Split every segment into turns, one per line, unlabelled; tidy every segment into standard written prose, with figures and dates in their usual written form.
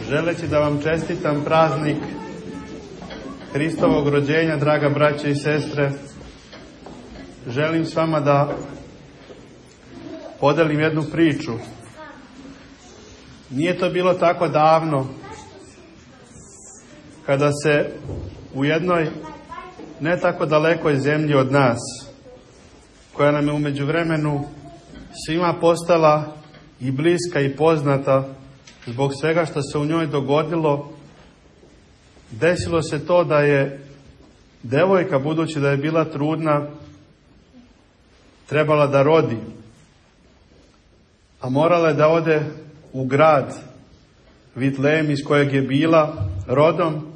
želeći da vam čestitam praznik Hristovog rođenja, draga braće i sestre, želim s vama da podelim jednu priču. Nije to bilo tako davno, kada se u jednoj ne tako dalekoj zemlji od nas, koja nam je u međuvremenu svima postala i bliska i poznata zbog svega što se u njoj dogodilo, desilo se to da je devojka, budući da je bila trudna, trebala da rodi, a morala je da ode u grad Vitlejem iz kojeg je bila rodom,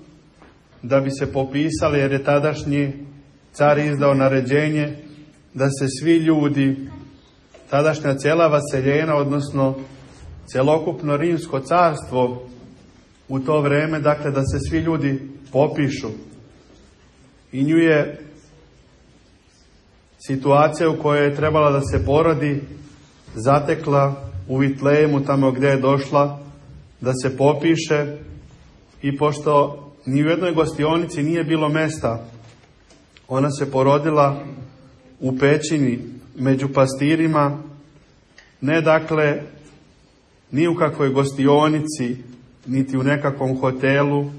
da bi se popisali, jer je tadašnji car izdao naređenje da se svi ljudi, tadašnja cijela vaseljena, odnosno celokupno rimsko carstvo u to vreme, dakle da se svi ljudi popišu. I nju je situacija u kojoj je trebala da se porodi zatekla u Vitlejemu, tamo gdje je došla da se popiše, i pošto ni u jednoj gostionici nije bilo mesta, ona se porodila u pećini među pastirima, ne dakle ni u kakvoj gostionici, niti u nekakvom hotelu,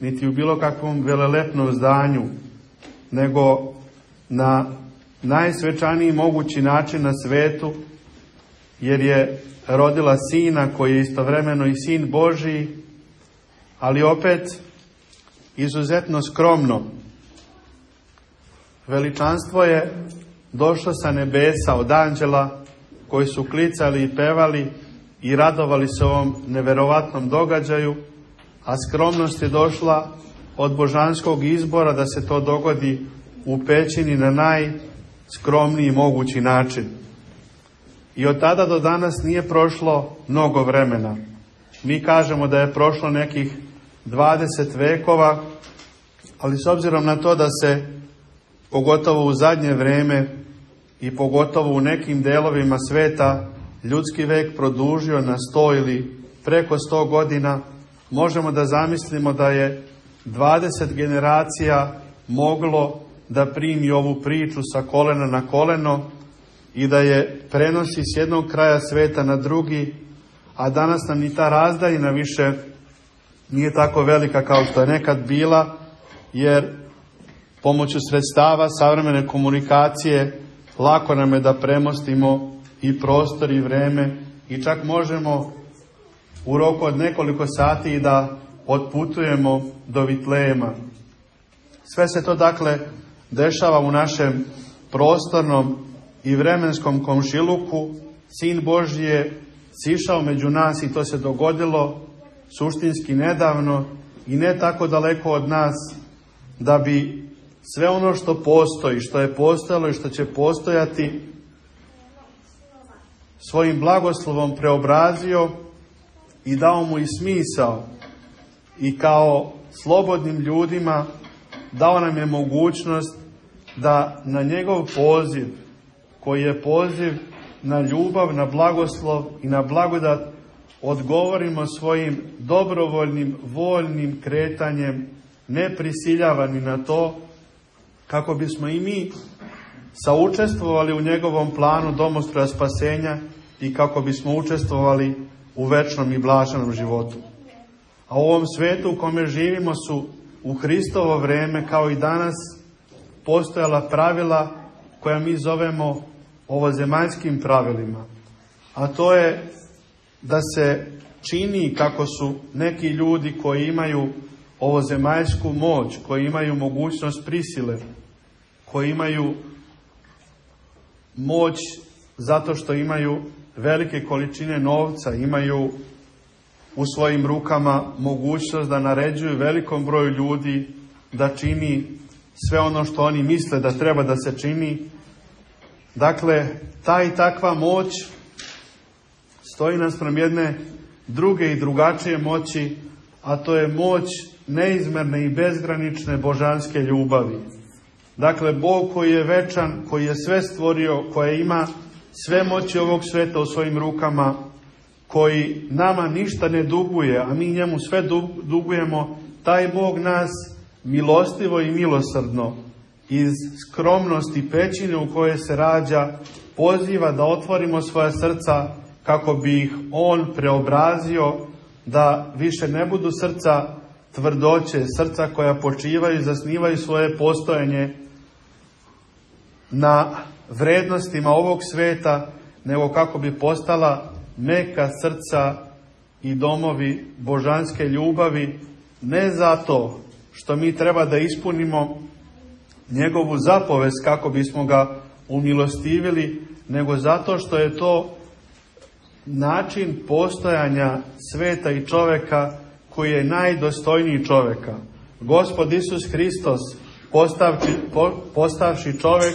niti u bilo kakvom velelepnom zdanju, nego na najsvečaniji mogući način na svetu, jer je rodila sina koji je istovremeno i sin Božiji, ali opet izuzetno skromno. Veličanstvo je došlo sa nebesa od anđela koji su klicali i pevali i radovali se ovom neverovatnom događaju, a skromnost je došla od božanskog izbora da se to dogodi u pećini na najskromniji mogući način. I od tada do danas nije prošlo mnogo vremena. Mi kažemo da je prošlo nekih 20 vekova, ali s obzirom na to da se pogotovo u zadnje vrijeme i pogotovo u nekim delovima sveta ljudski vek produžio na 100 ili preko 100 godina, možemo da zamislimo da je 20 generacija moglo da primi ovu priču sa kolena na koleno i da je prenosi s jednog kraja sveta na drugi, a danas nam ni ta razdaljina više nije tako velika kao što je nekad bila, jer pomoću sredstava savremene komunikacije lako nam je da premostimo i prostor i vreme i čak možemo u roku od nekoliko sati i da otputujemo do Vitlejema. Sve se to dakle dešava u našem prostornom i vremenskom komšiluku. Sin Božji je sišao među nas i to se dogodilo suštinski nedavno i ne tako daleko od nas, da bi sve ono što postoji, što je postojalo i što će postojati, svojim blagoslovom preobrazio i dao mu i smisao, i kao slobodnim ljudima dao nam je mogućnost da na njegov poziv, koji je poziv na ljubav, na blagoslov i na blagodat, odgovorimo svojim dobrovoljnim, voljnim kretanjem, ne prisiljavani na to, kako bismo i mi saučestvovali u njegovom planu domostroja spasenja i kako bismo učestvovali u večnom i blaženom životu. A u ovom svetu u kome živimo su u Hristovo vrijeme, kao i danas, postojala pravila koja mi zovemo ovozemaljskim pravilima. A to je da se čini kako su neki ljudi koji imaju ovozemaljsku moć, koji imaju mogućnost prisile, koji imaju moć zato što imaju velike količine novca, imaju u svojim rukama mogućnost da naređuju velikom broju ljudi da čini sve ono što oni misle da treba da se čini. Dakle, ta i takva moć stoji naspram jedne druge i drugačije moći, a to je moć neizmjerne i bezgranične božanske ljubavi. Dakle, Bog koji je večan, koji je sve stvorio, koji ima sve moći ovog sveta u svojim rukama, koji nama ništa ne duguje, a mi njemu sve dugujemo, taj Bog nas milostivo i milosrdno iz skromnosti pećine u kojoj se rađa poziva da otvorimo svoja srca kako bi ih On preobrazio, da više ne budu srca tvrdoće, srca koja počivaju i zasnivaju svoje postojanje na vrednostima ovog sveta, nego kako bi postala meka srca i domovi božanske ljubavi, ne zato što mi treba da ispunimo njegovu zapovest kako bismo ga umilostivili, nego zato što je to način postojanja sveta i čoveka koji je najdostojniji čoveka. Gospod Isus Hristos, postavši čovek,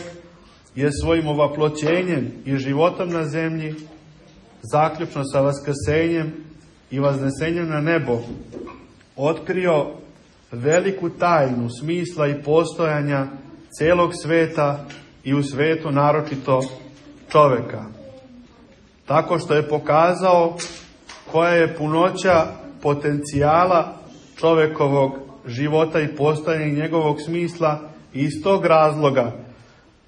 je svojim ovaploćenjem i životom na zemlji, zaključno sa vaskrsenjem i vaznesenjem na nebo, otkrio veliku tajnu smisla i postojanja celog sveta i u svetu naročito čoveka. Tako što je pokazao koja je punoća potencijala čovekovog života i postojanja i njegovog smisla, i iz tog razloga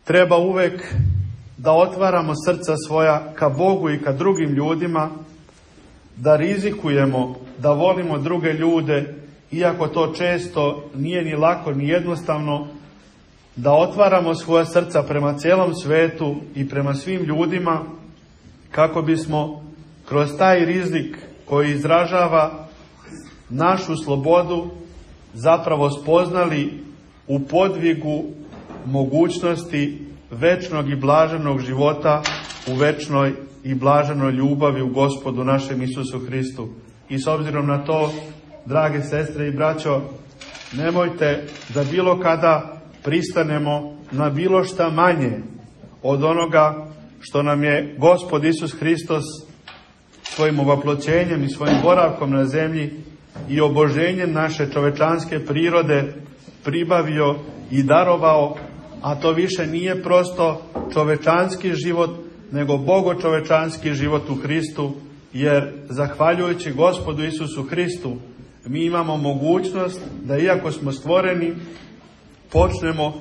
treba uvek da otvaramo srca svoja ka Bogu i ka drugim ljudima, da rizikujemo, da volimo druge ljude, iako to često nije ni lako ni jednostavno, da otvaramo svoja srca prema cijelom svetu i prema svim ljudima, kako bismo kroz taj rizik koji izražava našu slobodu zapravo spoznali u podvigu mogućnosti večnog i blaženog života u večnoj i blaženoj ljubavi u Gospodu našem Isusu Hristu. I s obzirom na to, drage sestre i braćo, nemojte da bilo kada pristanemo na bilo šta manje od onoga što nam je Gospod Isus Hristos svojim ovaploćenjem i svojim boravkom na zemlji i oboženjem naše čovečanske prirode pribavio i darovao, a to više nije prosto čovečanski život, nego bogočovečanski život u Hristu, jer zahvaljujući Gospodu Isusu Hristu mi imamo mogućnost da, iako smo stvoreni, počnemo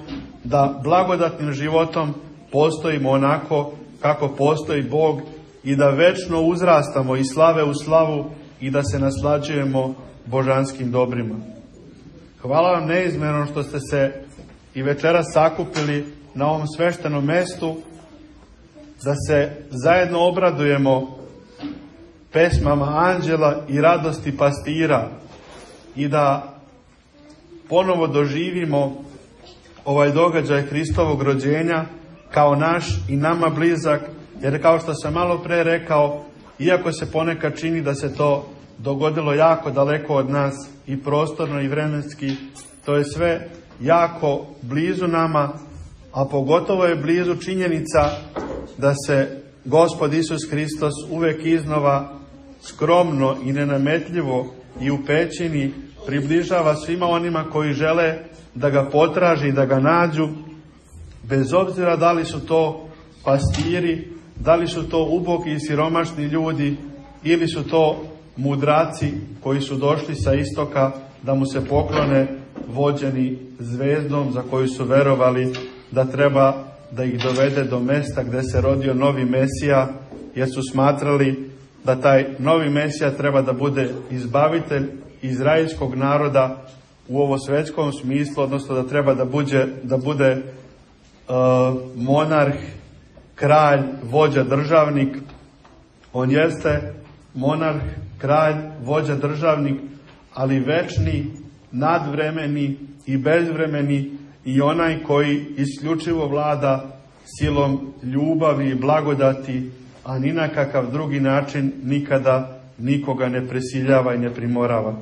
da blagodatnim životom postojimo onako kako postoji Bog i da večno uzrastamo iz slave u slavu i da se naslađujemo božanskim dobrima. Hvala vam neizmjerno što ste se i večeras sakupili na ovom sveštenom mestu, da se zajedno obradujemo pesmama anđela i radosti pastira i da ponovo doživimo ovaj događaj Hristovog rođenja kao naš i nama blizak, jer kao što sam malo pre rekao, iako se ponekad čini da se to dogodilo jako daleko od nas i prostorno i vremenski, to je sve jako blizu nama, a pogotovo je blizu činjenica da se Gospod Isus Hristos uvek iznova skromno i nenametljivo i u pećini približava svima onima koji žele da ga potraži, da ga nađu, bez obzira da li su to pastiri, da li su to ubogi i siromašni ljudi, ili su to mudraci koji su došli sa istoka da mu se poklone, vođeni zvezdom za koju su verovali da treba da ih dovede do mesta gde se rodio novi Mesija, jer su smatrali da taj novi Mesija treba da bude izbavitelj izraelskog naroda u ovo svetskom smislu, odnosno da treba da bude monarh, kralj, vođa, državnik. On jeste monarh, kralj, vođa, državnik, ali večni, nadvremeni i bezvremeni, i onaj koji isključivo vlada silom ljubavi i blagodati, a ni na kakav drugi način nikada nikoga ne prisiljava i ne primorava.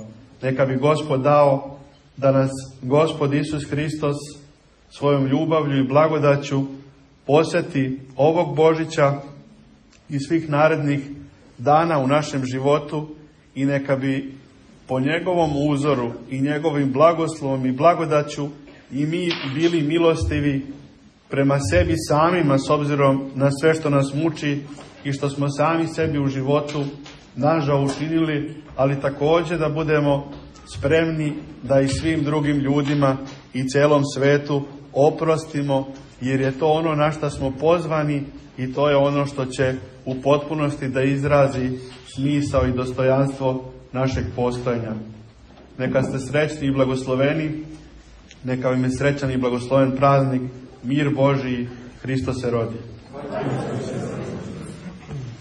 Neka bi Gospod dao da nas Gospod Isus Hristos svojom ljubavlju i blagodaću posjeti ovog Božića i svih narednih dana u našem životu, i neka bi po njegovom uzoru i njegovim blagoslovom i blagodaću i mi bili milostivi prema sebi samima, s obzirom na sve što nas muči i što smo sami sebi u životu nažao učinili, ali također da budemo spremni da i svim drugim ljudima i celom svetu oprostimo, jer je to ono na što smo pozvani i to je ono što će u potpunosti da izrazi smisao i dostojanstvo našeg postojanja. Neka ste srećni i blagosloveni, neka vam je srećan i blagosloven praznik, mir Božiji, Hristos se rodi.